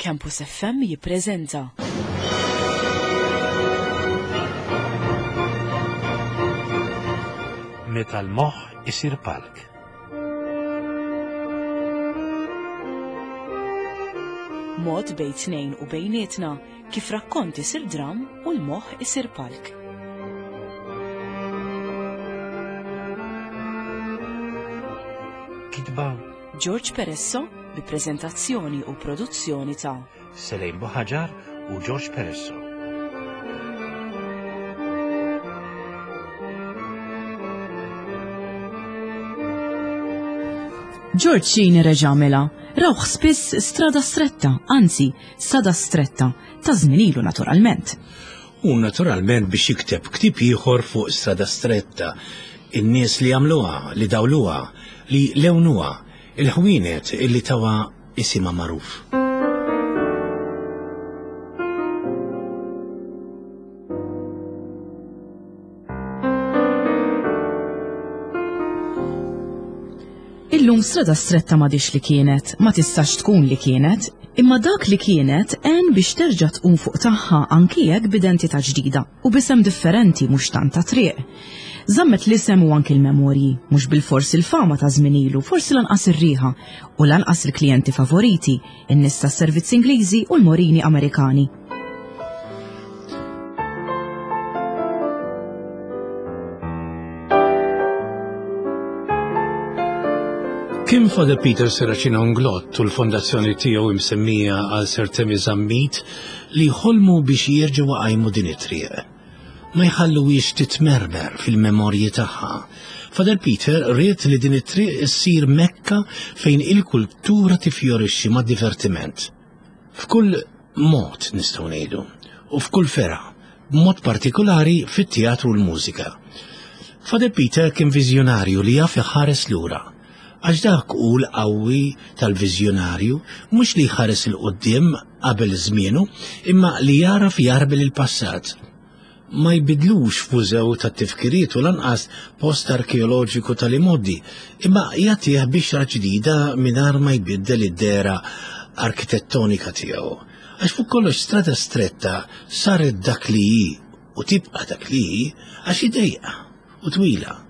Campus FM jippreżenta. Meta l-moħħ isir palk. Mod bejn tnejn u bejnietna kif rakkont isir dram u l-moħħ isir palk. Kitba George Peresso bi preżentazzjoni u produzzjoni ta' Selejn Buħaġar u George Peresso. George Cini reġa' għamilha. Rawh spiss strada stretta, anzi, sada stretta, ta' żmien ilu naturalment. U naturalment biex jikteb ktieb ieħor fuq Strada Stretta, in-nies li għamluha, li dawluha, li lewnuha, il-ħwienet illi tawha isimha magħruf. Illum Strada Stretta m'għadhiex li kienet, ma tistax tkun li kienet, imma dak li kienet għen biex terġa' tqum fuq tagħha anki jekk b'identità ġdida u b'isem differenti mhux tant ta' triq. Żammet l-isem u anki l-memorji, mhux bilfors il-fama ta' żmien ilu, forsi lanqas ir-riħa u lanqas il-klijenti favoriti, in-nies tas-servizz Ingliżi u l-morini Amerikani. Kien Father Peter Serracino Nglott u l-fondazzjoni tiegħu imsemmija għal Sir Temi Zammit li ħolmu biex jerġgħu għajmu din it-triq. Ma jħalluhiex titmermer fil-memorji tagħha. Father Peter ried li din it-triq issir Mekka fejn il-kultura tifjorixxi mad-divertiment. F'kull mod nistgħu ngħidu, u f'kull fergħa, b'mod partikolari fit-teatru u l-mużika. Father Peter kien viżjonarju li jaf iħares lura. Għax dak hu l-qawwi tal-viżjonarju, mhux li jħares 'il quddiem qabel żmienu, imma li jagħraf jagħrbel il-passat. Ma jbiddlux f'mużew tat-tifkiriet u lanqas post arkeoloġiku tal-imgħoddi, imma jagħtih bixra ġdida mingħajr ma jbiddel id-dehra arkitettonika tiegħu. Għax fuq kollox Strada Stretta saret dak li hi u tibqa' dak li hi għax hi dejqa u twila.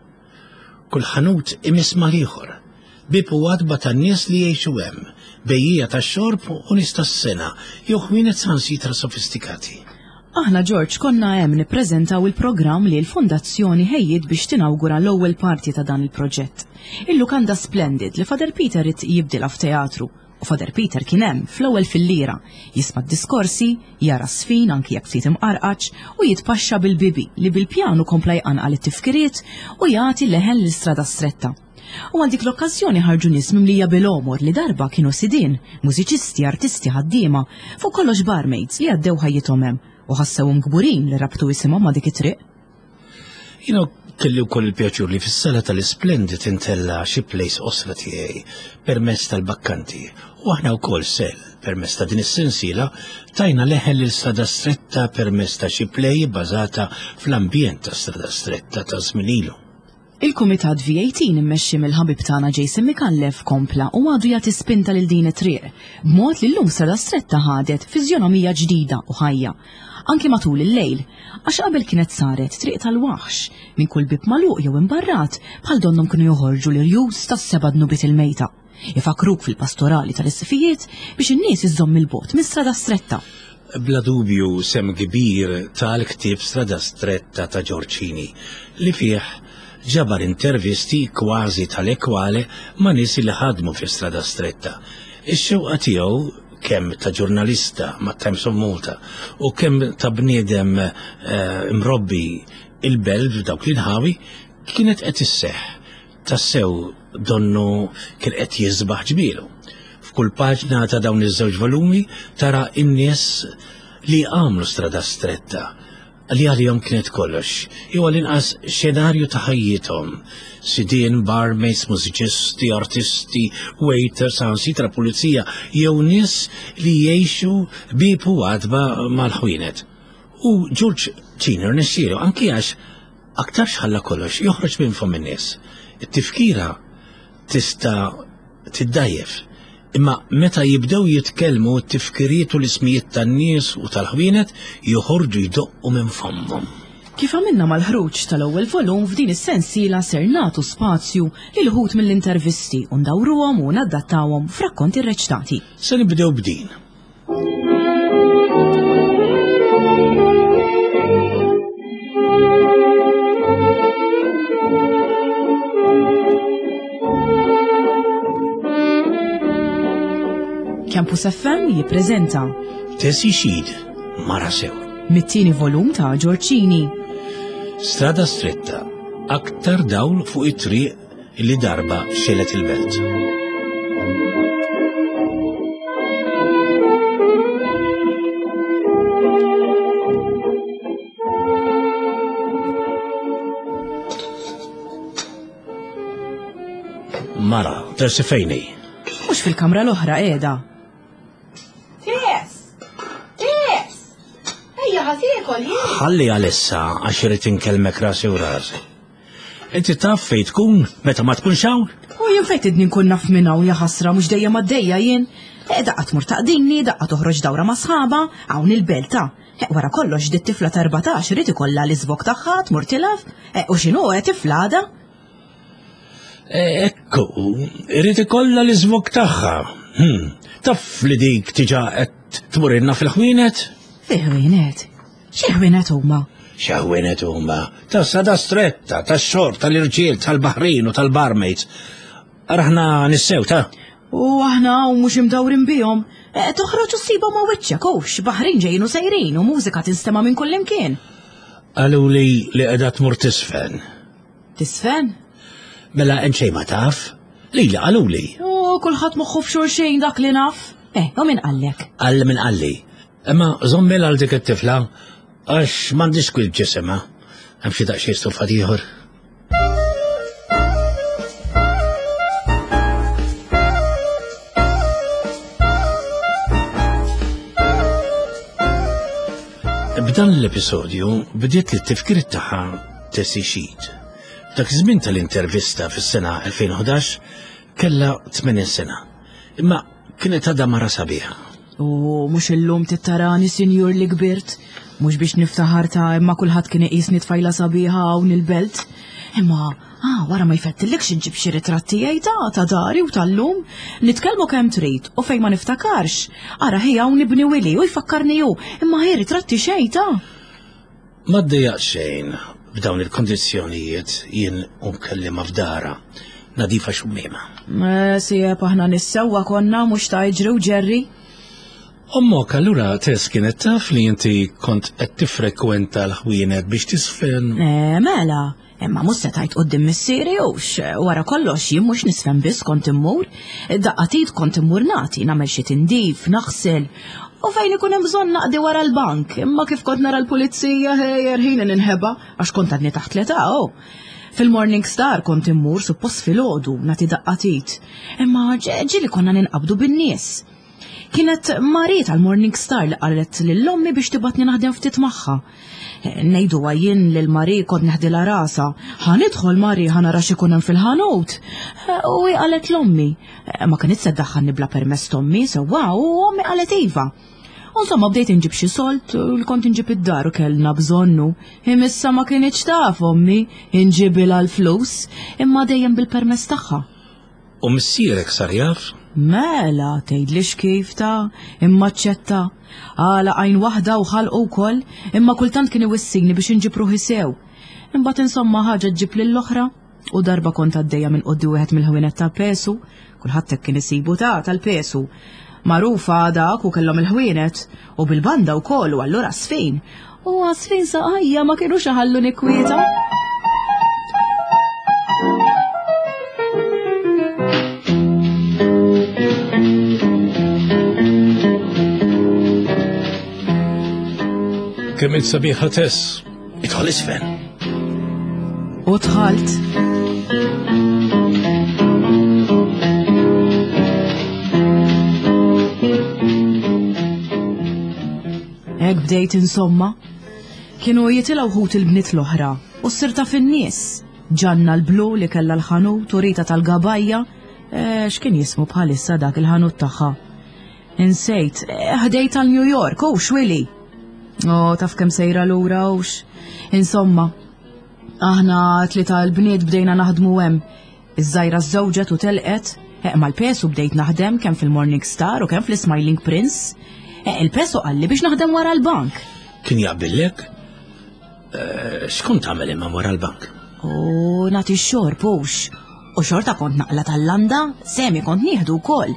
Kull ħanut imiss mal-ieħor. Bieb u għatba tan-nies li jgħixu hemm, bejjiegħa tax-xorb u nies tas-sengħa jew ħwienet saħansitra sofistikati. Aħna George konna hemm nippreżentaw il-programm li l-Fondazzjoni ħejjiet biex tinawgura l-ewwel parti ta' dan il-proġett. Il-lukanda Splendid li Father Peter ried jibdilha f'teatru U Father Peter kien hemm, fl-ewwel filliera, jisma' d-diskorsi, jara ż-żfin anki jekk ftit imqarqaċ, u jitpaxxa bil-bibi li bil-pjanu kompla jqanqal it-tifkiriet u jagħti leħen lil Strada Stretta. U għal dik l-okkażjoni ħarġu nies mimlija bil-għomor li darba kienu sidien, mużiċisti, artisti, ħaddiema, fuq kollox barmaids li għaddew ħajjithom hemm u ħassewhom kburin li rabtu isimhom ma' dik it-triq. Jiena kelli wkoll il-pjaċur li fis-sala tal-Isplendid intella' xi plays qosra tiegħi permezz tal-Bakkanti u aħna wkoll sel permezz ta' din is-sensiela tajna leħen lil Strada Stretta permezz ta' xi play bbażata fl-ambjent ta' Strada Stretta ta' żmien ilu. Il-Kumitat V18 immexxi mill-ħabib tagħna Jason Micallef kompla u għadu jagħti spinta lil din it-triq, b'mod li llum Strada Stretta ħadet fiżjonomija ġdida u ħajja, anki matul il-lejl, għax qabel kienet saret triq tal-waħx, minn kull bieb magħluq jew imbarrat bħal donnhom kienu joħorġu l-irjus tas-seba' dnubiet il-mejta. Ifakkruk fil-pastorali tal-isqfijiet biex in-nies iżżomm 'il bogħod minn Strada Stretta. Bla dubju sehem kbir ta l-ktieb Strada Stretta ta' Ġorġ Cini li fih ġabar intervisti kważi tale quale ma' nies li ħadmu fi Strada Stretta. Ix-xewqa tiegħu kemm ta' ġurnalista mat-Times of Malta u kemm ta' bniedem imrobbi il-Belt f'dawk l-inħawi kienet qed isseħħ. Tassew donnu kien qed jiżbaħ ġmielu. F'kull paġna ta' dawn iż-żewġ volumi tara n-nies li għamlu Strada Stretta, li għalihom kienet kollox, jew għall-inqas xenarju ta' ħajjithom. Sidien, barmaids, mużiċisti, artisti, waiters, saħansitra pulizija, jew nies li jgħixu bieb u għatba mal-ħwienet. U George Cini rnexxielu, anki għax Aktarx ħalla kollox joħroġ minn fomm in-nies. It-tifkira tista' tiddgħajjef. Imma meta jibdew jitkellmu t-tifkiriet u l-ismijiet tan-nies u tal-ħwienet joħorġu jdoqqu minn fommhom. Kif għamilna mal-ħruġ tal-ewwel volum f'din is-sensiela ser nagħtu spazju lil uħud mill-intervisti u ndawruhom u nadattawhom f'rakkonti rreċtati. Se nibdew b'din. Campus FM jippreżenta Tesi Xid, Mara Sew. Mit-tieni volum ta' Ġorċini. Strada stretta, aktar dawl fuq it-triq li darba xelet il-belt. Mara, tersi fejni. Mux fil-kamra l-oħra qiegħda. Ties! Ties! Ejja ħa tiekol jien. Ħalli għalissa għax irid inkellmek rasi u rasi. Inti taf fejn tkun meta ma tkunx hawn? U jien fejn tidni nkun naf minn hawn ja ħasra mhux dejjem għaddejja jien. E, daqqa tmur taqdini, daqqa toħroġ dawra ma' sħaba, hawn il-belta. E, wara kollox dit tifla ta' 14 irid ikollha l-iżvog tagħha tmur tilaf, e, u x'inhu e, tifla għadha? Ekku, irid ikollha l-iżvog tagħha. Hmm, taf li dik tiġa qed tmurilna fil-ħwienet? Fil-ħwienet? Xi ħwienet huma? Xi ħwienet huma? Ta' sada stretta, tax-xorb, tal-irġiel, tal-baħrin u tal-barmaids. Araħna nissew ta' U aħna u mhux imdawrin bihom. E, toħroġ u ssibhom ma' wiċċek hux, baħrin ġejjin u sejrin u mużika tinstema' minn kullimkien. Qalu li li qiegħda tmur tisfen. Tisfen? Mela hemm xejn ma taf? Lili qaluli. U kulħadd moħħu f'xulxin dak li naf. Eh, u min qallek? Qal min qalli. Imma żommil għal dik it-tifla għax m'għandix kwil ġisimha. Hemm xi daqsxejn stufat ieħor. B'dan l-episodju bdiet li t-tifkir tagħha Tessie Sheet. Dak iż-żmien tal-intervista fis-sena 2011 kellha 80 sena. Imma kienet għadha mara sabiħa. U mhux illum tittarani sinjur li kbirt, mhux biex niftaħar ta' imma kulħadd kien iqisni tfajla sabiħa hawn il-belt. Imma ah, wara ma jfettillikx inġib xi ritratt tiegħi ta' ta' dari u tal-lum, nitkellmu kemm trid u fejn ma niftakarx. Ara ħi hawn ibni Willy u jfakkarni hu, imma ħi ritratti xejn ta'. Ma ddejjaq xejn b'dawn il-kondizzjonijiet jien u nkellima f'dara, nadifa xummiema. Eh, Sieb aħna nissewwa konna mhux ta' iġri u ġerri. Ommok allura Tess kienet taf li inti kont qed tiffrekwenta l-ħwienet biex tisfen. Eh, mela, Imma mhux se tgħid quddiem missieri hux, wara kollox jien mhux nisfen biss kont immur, daqqa t'id kont immur nagħti, nagħmel xi tindif, naħsel. U fejn ikun hemm bżonn naqdi wara l-bank, imma kif kont nara l-pulizija ħejjer ħin ninħeba għax kont għadni taħt l-età, oh. Fil-Morning Star kont immur suppost filgħodu nagħti daqqa t'id. Imma ġieli konna ninqabdu bin-nies. Kienet Marie tal-Morning Star li qalet lil ommi biex tibatni naħdem ftit magħha. Ngħidu jien lil Marie kont neħdilha rasha. Ħa nidħol Marie ħa nara x'ikun hemm fil-ħanut. U hi qalet l-ommi. Ma kinitx se ddaħħalni bla permess t'ommi, sewwa, u ommi qalet iva. U insomma bdejt inġib xi solt li kont inġib id-dar u kellna bżonnu. Imissa ma kinitx taf ommi inġibilha l-flus, imma dejjem bil-permess tagħha. U missierek sar jaf? Mela, tgħidlix kif ta' imma aċċetta. Għalaq għajn waħda u ħalqu wkoll, imma kultant kien iwissini biex inġib ruħi sew. Imbagħad insomma ħaġa ġġib lill-oħra u darba kont għaddejja minn quddi wieħed mill-ħwienet ta' pesu, kulħadd hekk kien isibu ta' tal-pesu. Magħrufa dak u kellhom il-ħwienet u bil-banda wkoll u allura sfin. U għasfin saqajja ma kienux iħallu nikwieta. Kemm int sabiħa Tess, idħol isfen. U dħalt. Hekk bdejt insomma. Kienu jitilgħu ħut il-bniet l-oħra u ssir taf in-nies. Ġanna l-blu li kellha l-ħanut u Rita tal-Gabajja. Eh, x'kien jismu bħalissa dak il-ħanut tagħha? Insejt, eh, ħdejt għal New York, u xwili. Oh, taf kemm sejra lura hux. Insomma, aħna tlita l-bniet bdejna naħdmu hemm. Iż-żgħira żżewġet u telqet, eh, mal-pesu bdejt naħdem kemm fil-Morning Star u kemm fl-Smiling Prince. Eh, il-pesu qalli biex naħdem wara l-bank. Kien jaqbillek? Eh, x'kont tagħmel imma wara l-bank? U nagħti x-xorb hux. U xorta kont naqla tal-landa, semi kont nieħdu wkoll.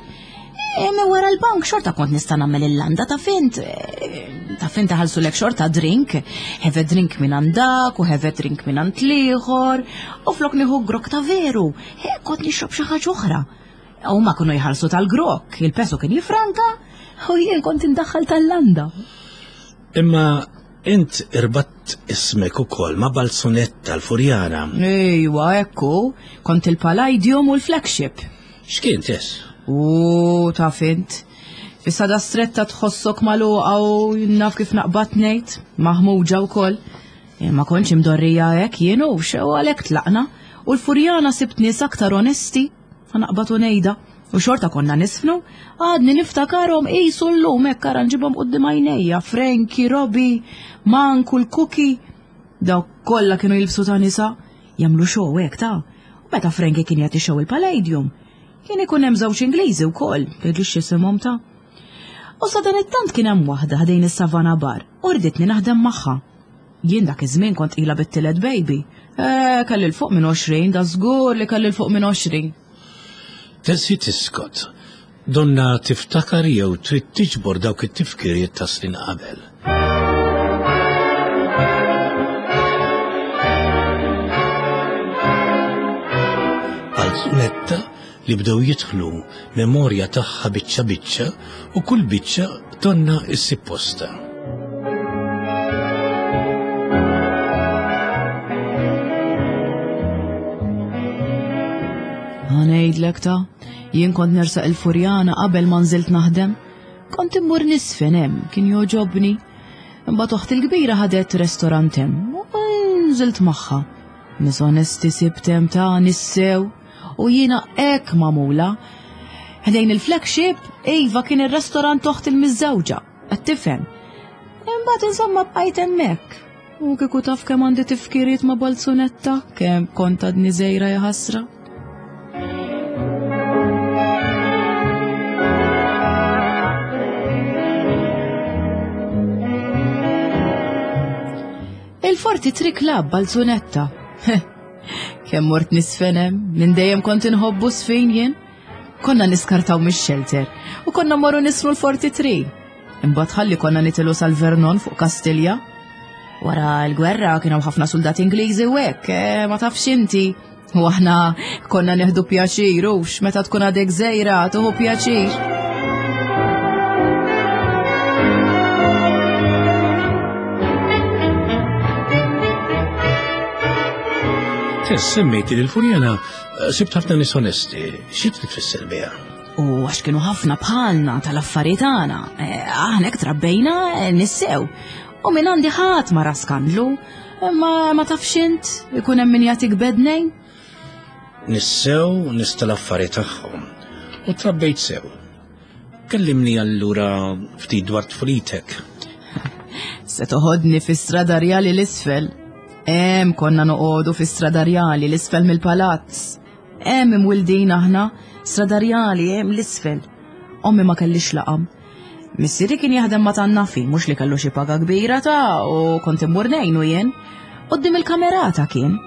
Imma wara l-bank xorta kont nista' nagħmel il-landa ta' fint. Eh, ta' fint lek xorta drink, have a drink minn għandak u have a drink minn għand l-ieħor, u flok nieħu grok ta' veru, eh, kont nixrob xi ħaġa oħra. U ma kienu jħallsu tal-grok, il-peso kien jifranka, u jien kont indaħħal tal-landa. Imma int irbatt ismek ukoll ma' Balzunetta l-Furjana. Ejwa, ekku, kont il-Palladium u l-flagship. X'kien tess? U taf int. Fis-sada stretta tħossok magħluqa u naf kif naqbad ngħid, maħmuġa wkoll. E, ma kontx imdorrija hekk jien u xew għalhekk tlaqna u l-Furjana sibt nies aktar onesti. Naqbad u ngħidha. U xorta konna nisfnu, għadni niftakarhom qisu llum hekk ara nġibhom quddiem għajnejja, Frankie, Robbie, Manku, l-Cookie. Dawk kollha kienu jilbsu ta' nisa, jagħmlu show hekk ta' U meta Frankie kien jagħti show il-Palladium, kien ikun hemm żewġ Ingliżi wkoll, tgħidlix x'isimhom ta' U sadanittant kien hemm waħda ħdejn is-Savana Bar u rditni naħdem magħha. Jien dak iż-żmien kont ilha bit-tielet baby. Eh, kelli 'l fuq minn 20, da żgur li kelli 'l fuq minn 20. Tessie tiskot. Donna tiftakar jew trid tiġbor dawk it-tifkiriet ta' snin qabel. Balzunetta li bdew jidħlu memorja tagħha biċċa biċċa u kull biċċa donna issib postha. Ngħidlek ta' jien kont nersaq il-Furjana qabel ma nżilt naħdem. Kont immur nisfen hemm, kien jogħġobni. Imbagħad oħti l-kbira ħadet restorant hemm u nżilt magħha. Nies onesti sibt hemm ta' nissew u jiena hekk magħmula. Ħdejn il-flagship, iva kien ir-restorant oħt il-miżżewġa, qed tifhem. Imbagħad insomma bqajt hemmhekk. U kieku taf kemm għandi tifkiriet ma' Balzunetta, kemm kont għadni żgħira ja ħasra. Il-Forti Tri Club Balzunetta. Kemm mort nisfenem, minn dejjem kont inħobbu sfin jien. Konna niskartaw mix-shelter u konna morru nisru l-Forti Tri. Imbagħad ħalli konna nitilu sal-Vernon fuq Kastilja. Wara l-gwerra kienu ħafna soldati Ingliżi u hekk, eh, ma tafx inti. U aħna konna neħdu pjaċir, ux, meta tkun għadek żejra, tuħu pjaċir. Tess, semmejti li l-Furjana eh, sibt ħafna nies onesti, xi trid tfisser biha? U għax kienu ħafna bħalna tal-affarijiet tagħna, eh, aħna hekk trabbejna eh, nissew. U minn għandi ħadd ma ra skandlu, ma, ma tafx int ikun hemm min jagħtik bednej. Nissew nies tal-affari tagħhom u trabbejt sew. Kellimni allura ftit dwar tfulitek. Se toħodni fi strada rjali l-isfel. Hemm konna noqogħdu fi strada rjali l-isfel mill-palazz. Hemm imwildin aħna, strada rjali hemm l-isfel. Ommi ma kellix laqam. Missieri kien jaħdem ma' tan-nafi, mhux li kellu xi paga kbira ta' u kont immur ngħinu jien. Quddiem il-kamerata kien.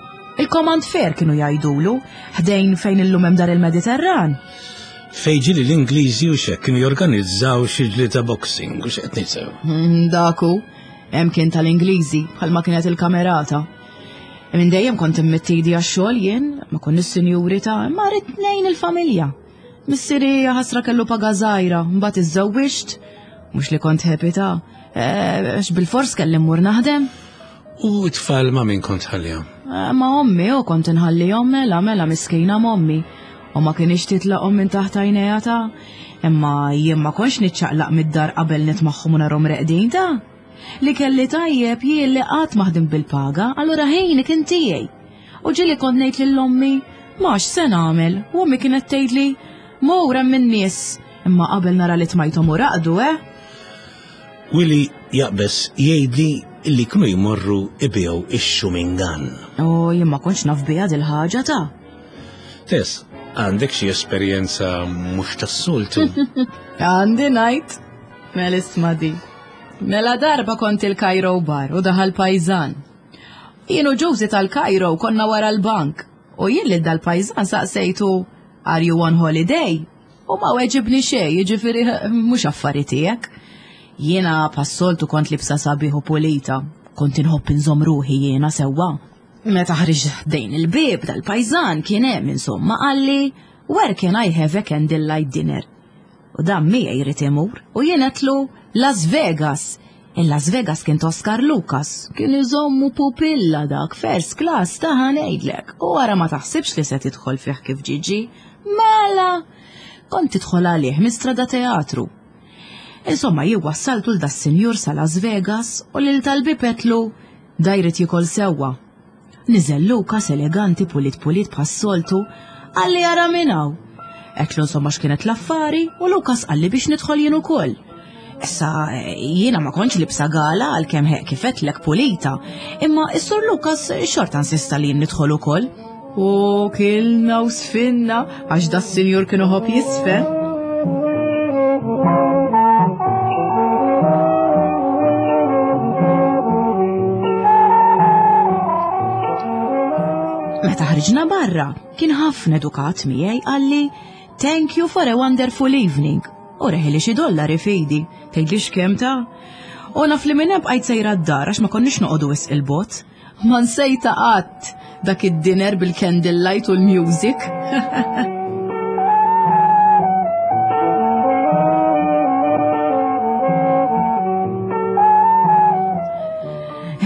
Il-Command Fair kienu jgħidulu, ħdejn fejn illum hemm dar il-Mediterran. Fejn ġieli l-Ingliżi u x'hekk kienu jorganizzaw xi ġlieda boxing u x'qed ngħid hmm, Daku, hemm kien tal-Ingliżi bħalma kienet il-kamerata. Minn dejjem kont immittidi għax-xogħol jien, ma konniex sinjuri ta' imma rrid ngħin il-familja. Missieri ħasra kellu paga żgħira, mbagħad iżżewwiġt, mhux li kont happy ta' eh, għax bil-fors kelli mmur naħdem. U t-tfal ma' min kont tħallihom? Eh, ma' ommi u kont inħallihom mela mela miskina m'ommi. U ma kienx titlaqhom minn taħt għajnejha ta' imma jien ma kontx niċċaqlaq mid-dar qabel nitmagħhom u narhom reqdin ta' Li kelli tajjeb jien li qatt ma ħdimt bil-paga, allura ħini kien tiegħi. U ġieli kont ngħid lil ommi, Ma x'se nagħmel? U ommi kienet tgħidli, mur hemm in-nies. Imma qabel nara li tmajthom u raqdu, eh? Willy jaqbeż jgħidli li kienu jmorru ibigħu ix-xumingan. O, jien ma kontx naf biha dil-ħaġa ta'. Tess, għandek xi esperjenza mhux tas-soltu? Għandi ngħid. Mela isma' di. Mela darba kont il-Cairo bar u daħal pajżan. Jien u Josie tal-Cairo konna wara l-bank u jien lil dal-pajżan saqsejtu Are you on holiday? U ma weġibni xejn, jiġifieri mhux affari tiegħek. Jiena passoltu kont libsa sabiħ u pulita, kont inħobb inżomm ruħi jiena sewwa. Meta ħriġ ħdejn il-bieb dal-pajżan kien hemm insomma qalli Where can I have a candlelight dinner? U dan miegħi jrid imur u jien għedtlu Las Vegas. In Las Vegas kien Oscar Lucas, kien iżommu pupilla dak first class ta' ngħidlek. U wara ma taħsibx li se tidħol fih kif ġiġi. Mela! Kont tidħol għalih minn strada teatru. Insomma, jien wassaltu l das-sinjur sa Las Vegas u lil tal-bieb għedtlu da jrid jiekol sewwa. Niżel Lukas eleganti pulit pulit bħas-soltu, qalli ara minn hawn. Għedtlu insomma x'kienet l-affari u Lukas qalli biex nidħol jien ukoll. Issa jiena ma kontx libsa gala għalkemm ħeq kif għedtlek pulita, imma s-sur Lukas xorta insista li jien nidħol ukoll. U kilna u sfinna għax da s-sinjur kien iħobb jisfen. Meta ħriġna barra, kien ħafna edukat miegħi qalli Thank you for a wonderful evening. U reħili xi dollari f'idi, tgħidlix kemm ta' U naf li minn hemm bqajt sejra d-dar għax ma konniex noqogħdu wisq il-bot. Ma nsejta qatt dak id-dinner bil-candlelight u l-music.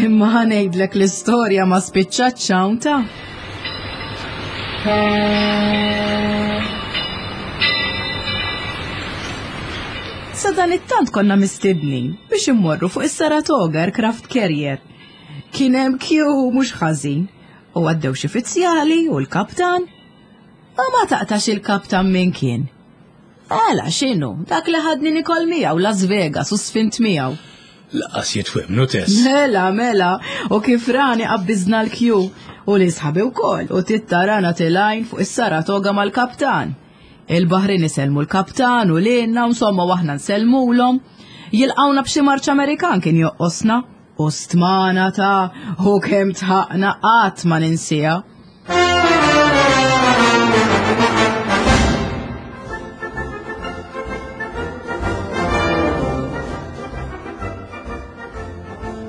Imma ħanejdlek l-istorja ma spiċċatx hawn ta' Sa dan it-tant konna mistednin biex immorru fuq is-Saratoga Aircraft Carrier. Kien hemm kju mhux ħażin u għaddew xi fizzjali u l-kaptan. U ma taqtax il-kaptan min kien. Għala x'inhu, dak li ħadni nikol miegħu Las Vegas u sfint miegħu. Laqas jitwemnu tess. Mela, mela, u kif rani qabbiżna l-kju u li sħabi wkoll u tittarana tilajn fuq is-Saratoga mal-kaptan. Il-Baħrin isellmu l-kaptan u lilna, insomma waħna nsellmulhom. Jilqawna b'xi marċ Amerikan kien joqqosna. U stmana ta' u kemm tħaqna qatt ma ninsiha.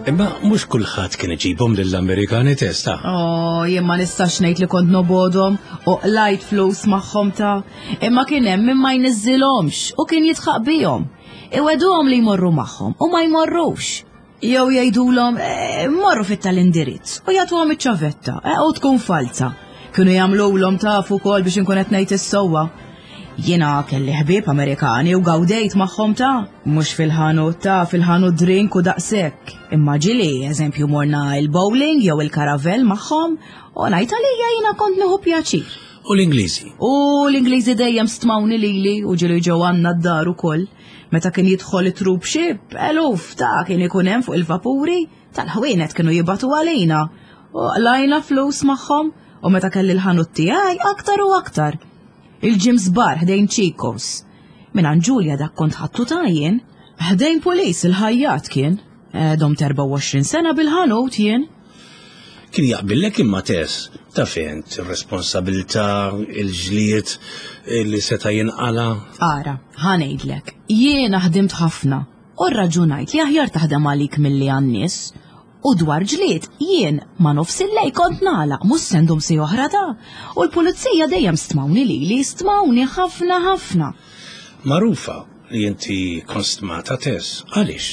Imma mhux kulħadd kien iġibhom lill-Amerikani testa. Oh, jien ma nistax ngħid li kont nobodhom u qlajt flus magħhom ta' imma kien hemm min ma jniżżilhomx u kien jitħaq bihom. Iweduhom li jmorru magħhom u ma jmorrux. Jew jgħidulhom eh, morru fit tal-indirizz u jagħtuhom iċ-ċavetta eh, u tkun falza. Kienu jagħmlulhom tafu wkoll biex inkun qed ngħid is-sewwa. Jiena kelli ħbieb Amerikani u gawdejt magħhom ta' mhux fil-ħanut ta' fil-ħanut drink u daqshekk. Imma ġili, eżempju morna il-bowling jew il-karavel magħhom u ngħid għalija jiena kont nieħu pjaċir. U l-Ingliżi? U l-Ingliżi dejjem stmawni lili u ġieli ġew għandna d-dar ukoll. Meta kien jidħol it-troop ship, eluf ta' kien ikun hemm fuq il-vapuri, tal-ħwienet kienu jibatu għalina. U qlajna flus magħhom u meta kelli l-ħanut tiegħi aktar u aktar. Il-Jim's Bar ħdejn Chico's. Minn Ġulja dak kont ħattu ta' jien. Ħdejn Police il-ħajjat kien. Eh, domt 24 sena bil-ħanut jien. Kien jaqbillek imma Tess, taf int, ir-responsabilità, il-ġlied li seta' jinqala'. Ara, ħa ngħidlek, jiena ħdimt ħafna u rraġunajt li aħjar taħdem għalik milli għan-nies. U dwar ġlied, jien ma' nofs il-lejl kont nagħlaq, mhux se ndum siegħa oħra ta'. U l-pulizija dejjem stmawni lili, stmawni ħafna ħafna. Magħrufa li inti kont stmata Tess, għaliex?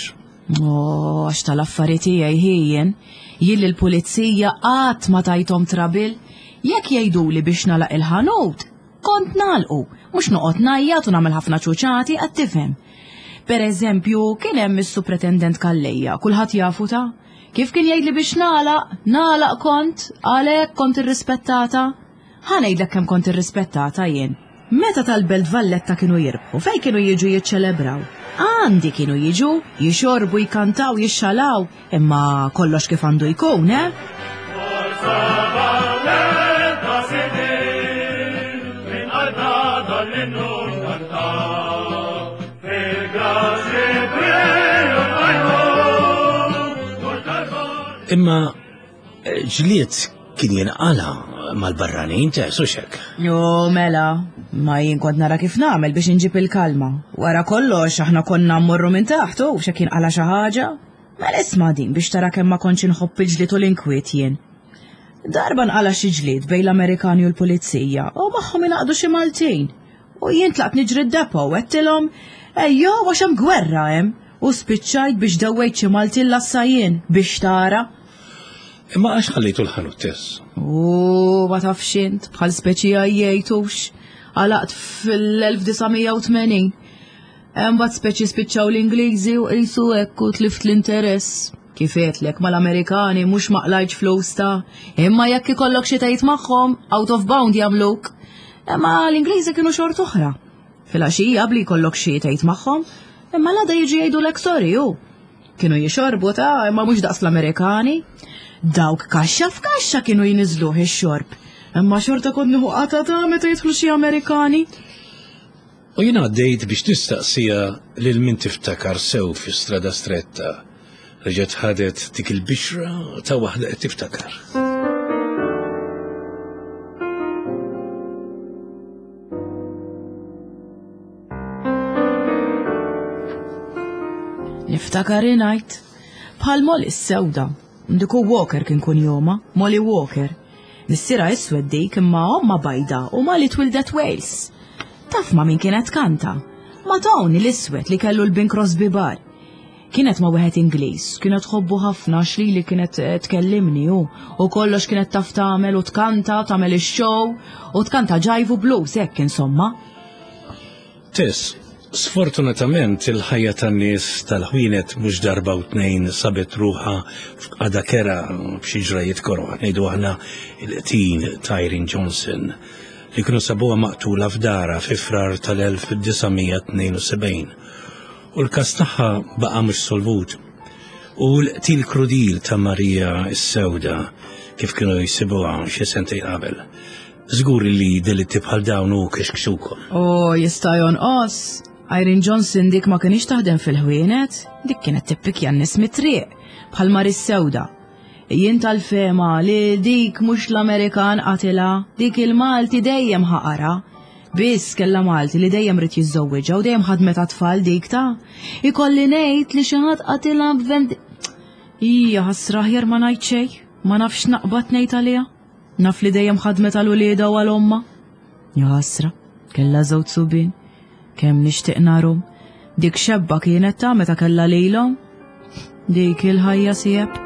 Oh, għax tal-affari tiegħi hi jien. Jien lill-pulizija qatt ma tajthom trabil. Jekk jgħiduli biex nagħlaq il-ħanut, kont nagħlqu, mhux noqgħod ngħajjat u nagħmel ħafna ċuċati qed tifhem. Per eżempju, kien hemm is-Supretendent Calleja, kulħadd jafu ta' kif kien jgħidli biex nagħlaq, nagħlaq kont, għalhekk kont irrispettata. Ħa ngħidlek kemm kont irrispettata jien. Meta tal-Belt Valletta kienu jirbħu, fejn kienu jiġu jiċċelebraw? Għandi kienu jiġu, jixorbu, jkantaw, jixxalaw, imma kollox kif għandu jkun, eh? Imma Ġlied kien jinqala mal-barranin Tess u xek. Jo, mela, ma jien kont nara kif nagħmel biex inġib il-kalma. Wara kollox aħna konna mmorru minn taħt u xek jinqala xi ħaġa. Mela isma' din biex tara kemm ma kontx inħobb il-ġlied u l-inkwiet jien. Darba nqala xi ġlied bejn l-Amerikani u l-pulizija u magħhom ingħaqdu xi Maltin. U jien tlaqt niġri d-depo u għedtilhom, ejjew għax hemm gwerra hemm. U spiċċajt biex dewwejt xi Maltin lassa jien biex tara. Imma għax ħallejtu l-ħanut Tess? U ma tafx int, bħal speċi għajjejtux. Għalaqt fil-1980. Imbagħad speċi spiċċaw l-Ingliżi u qisu hekk u tlift l-interess. Kif għedtlek mal-Amerikani mhux ma qlajtx flus ta' imma jekk ikollok xi tgħid magħhom out of bound jagħmluk. Imma l-Ingliżi kienu xort oħra. Filgħaxija bli jkollok xi tgħid magħhom, imma l-għada jiġi jgħidulek sorry hu. Kienu jixorbu ta' imma mhux daqs l-Amerikani. Dawk kaxxa f'kaxxa kienu jniżluh ix-xorb. Imma xorta kont nieħu qata ta' meta jidħlu xi Amerikani. U jien għaddejt biex nistaqsiha lil min tiftakar sew fi Strada Stretta. Reġgħet ħadet dik il-bixra ta' waħda qed tiftakar. Niftakar ingħid bħal Molly s-sewda. Diku Walker kien kunjoma, Molly Walker. Missierha iswed dik imma omma bajda u Molly twildet Wales. Taf ma' min kienet tkanta? Ma' Tony l-iswed li kellu l-Bing Crosby Bar. Kienet ma' wieħed Ingliż, kienet tħobbu ħafna għax lili kienet eh, tkellimni hu u kollox kienet taf tagħmel u tkanta, tagħmel ix-show u tkanta ġajvu blues hekk insomma. Tess, sfortunatament il-ħajja tan-nies tal-ħwienet mhux darba u tnejn sabet ruħha f'qagħda kerha b'xi ġrajiet koroh, ngħidu aħna il-qtil ta' Irene Johnson li kienu sabuha maqtula f'darha fi Frar tal-1972 u l-każ tagħha baqa' mhux solvut. U l-qtil krudil ta' Marija s-Sewda kif kienu jsibuha xi sentejn qabel. Żgur li delitti bħal dawn u kixkxukom. O, jista' jonqos. Irene Johnson dik ma kienx taħdem fil-ħwienet, dik kienet tippikja n-nies mit-triq, bħal Maris Sewda. Jien tal-fema li dik mhux l-Amerikan qatilha, dik il-Malti dejjem ħaqara. Biss kellha Malti li dejjem rid jiżżewwiġha u dejjem ħadmet għat-tfal dik ta' Ikolli ngħid li xi ħadd qatilha b'vend. Hija ħasra aħjar ma ngħid xejn, ma nafx naqbad ngħid għaliha. Naf li dejjem ħadmet għal uliedha u għal ommha. Ja ħasra, kellha żewġ subien. Kemm nixtieq narhom. Dik xebba kienet ta' meta kellha lilhom. Dik il-ħajja sieb.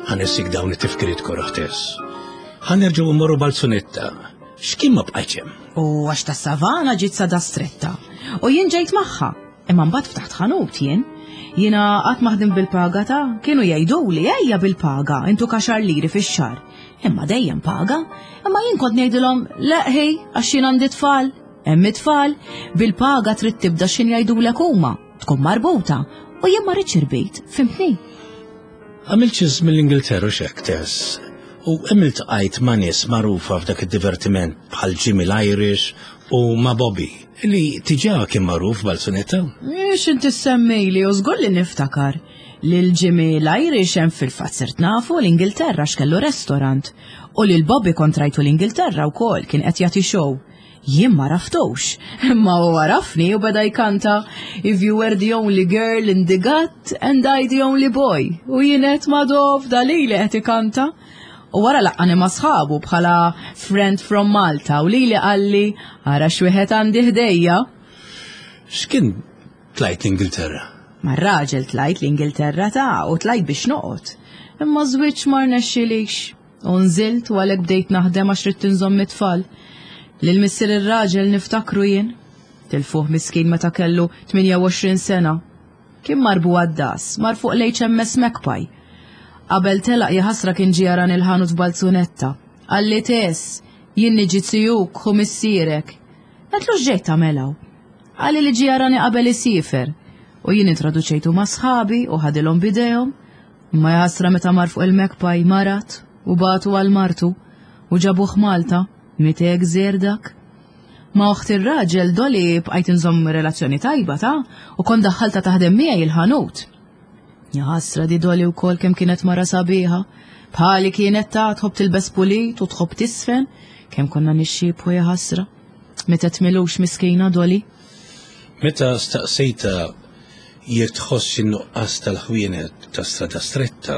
Ħanessik dawn it-tifkiriet koroħ Tess. Ħa nerġgħu mmorru Balzunetta. X'kien ma bqajtx hemm? U għax ta' savana ġiet sada stretta. U jien ġejt magħha. Imma mbagħad ftaħt ħanut jien. Jiena qatt ma ħdimt bil-paga ta' kienu jgħiduli ejja bil-paga, intu kaxar liri fix-xahar. Imma dejjem paga. Imma jien kont ngħidilhom leħi għax jien għandi tfal. Hemm it-tfal, bil-paga trid tibda x'in jgħidulek huma, tkun marbuta, u jien ma rridx irbit, fimtni? Għamilt xi żmien l-Ingilterra u x'hekk, Tess, u hemm iltqajt ma' nies magħrufa f'dak id-divertiment bħal Jimmy l-Irish u ma' Bobby, li diġà kien magħruf Balzunetta. X'int issemmili u żgur li niftakar. Lil Jimmy l-Irish hemm fil-fatt sirt nafu l-Ingilterra x'kellu restorant. U lil Bobby kont rajtu l-Ingilterra wkoll kien qed jagħti show. Jien ma raftux, imma hu għarafni u beda jkanta If you were the only girl in the gut and I the only boy. U jien qed ma dof dalili qed ikanta. U wara laqqani ma' sħabu bħala friend from Malta u lili qalli ara x'wieħed għandi ħdejja. X'kien tlajt l-Ingilterra? Mar-raġel tlajt l-Ingilterra ta' u tlajt biex noqgħod. Imma żwieġ ma rnexxilix. U nżilt u għalhekk bdejt naħdem għax ridt inżomm it-tfal. Lil missier ir-raġel niftakru jien. Tilfuh miskin meta kellu 28 sena. Kien mar bugħaddas, mar fuq l-HMS Magpie. Qabel telaq jaħasra kien ġie jarani l-ħanut b'balzunetta. Qalli Tess, jien niġi zijuk, ħu missierek. Għedtlu x'ġejt tagħmel hawn? Qalli li ġie jarani qabel isiefer. U jien introduċejtu ma' sħabi u ħadilhom b'idejhom. Imma jaħasra meta mar fuq il-Magpie marad u bagħtu għal martu u ġabuh Malta, miet hekk żgħir dak. Ma' oħt ir-raġel Dolly bqajt inżomm relazzjoni tajba ta' u kont daħħaltha taħdem miegħi il-ħanut. Jaħasra di Dolly wkoll kemm kienet mara sabiħa. Bħali kienet ta' tħobb tilbes pulit u tħobb tisfen, kemm konna nixxiebħu jaħasra. Mietet milux miskina Dolly. Meta staqsejtha jekk tħossx in-nuqqas tal-ħwienet ta' Strada Stretta,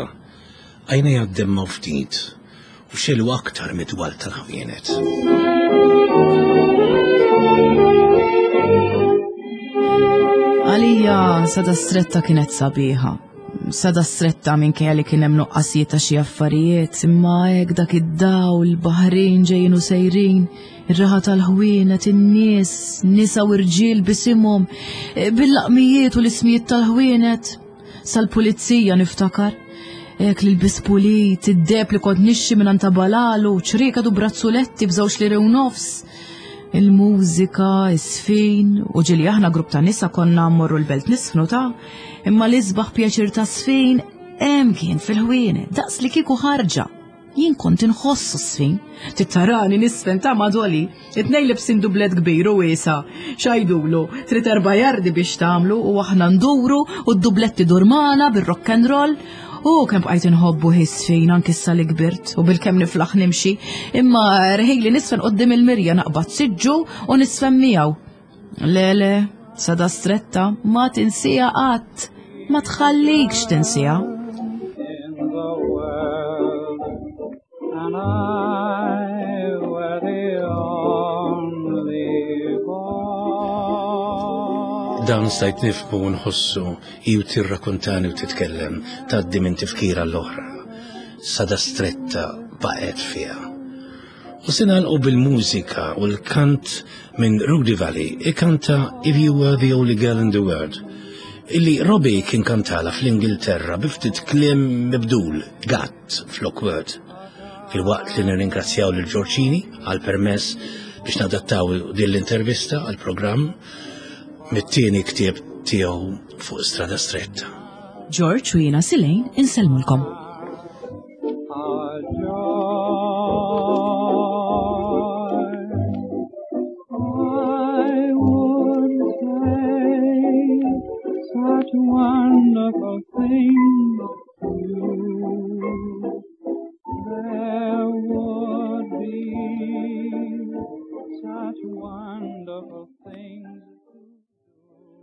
għajnejha ddemmgħu ftit u xegħlu aktar mid-dwal tal-ħwienet. Għalija Strada Stretta kienet sabiħa. Strada Stretta minkejja li kien hemm nuqqasijiet ta' xi affarijiet, imma hekk dak id-dawl, baħrin ġejjin u sejrin, Ir-raħa tal-ħwienet, in-nies, nisa u rġiel bisimhom, eh, bil-laqmijiet u l-ismijiet tal-ħwienet. Sal-pulizija niftakar. Ek li l-bis pulit, id-deb li kont nixxi minn ta' balalu, ċrieka du brazzuletti b'żewġ liri u nofs. Il-mużika, is-sfin, u ġili aħna grupp ta' nisa konna mmorru l-belt nisfnu ta' imma l-isbaħ pjaċir ta' sfin hemm kien fil-ħwienet, daqs li kieku ħarġa. Jien kont inħoss s-sfin. Tittarani nisfen ta' madoli. It-tnejn libsin dublet kbir u wiesa. Xajdulu, trid erba' jardi biex tagħmlu u aħna nduru u d-dublet idur magħna bir-rock and roll. U kemm bqajt inħobbu ħisfin anki issa li kbirt u bil-kemm niflaħ nimxi, imma rħili nisfen qoddim il-mirja naqbad siġġu u nisfen miegħu. Le, le, sada stretta, ma tinsija qatt, ma tħallikx tinsija. Dan stajt nifhmu u nħossu hi u tirrakuntani u titkellem tgħaddi minn tifkira l-oħra. Sada stretta baqgħet fiha. U se nagħlqu bil-mużika u l-kant minn Rudy Valley ikanta If You Were the Only Girl in the World illi Robbie kien kantala fl-Ingilterra bi ftit kliem mibdul, gatt flok word. Filwaqt li nirringrazzjaw lil Ġorġini għal permess biex nadattaw din l-intervista għal programm mit-tieni ktieb tiegħu fuq Strada Stretta. George u jiena Silejn insellmulkom. Wonderful things to you. There would be such wonderful things.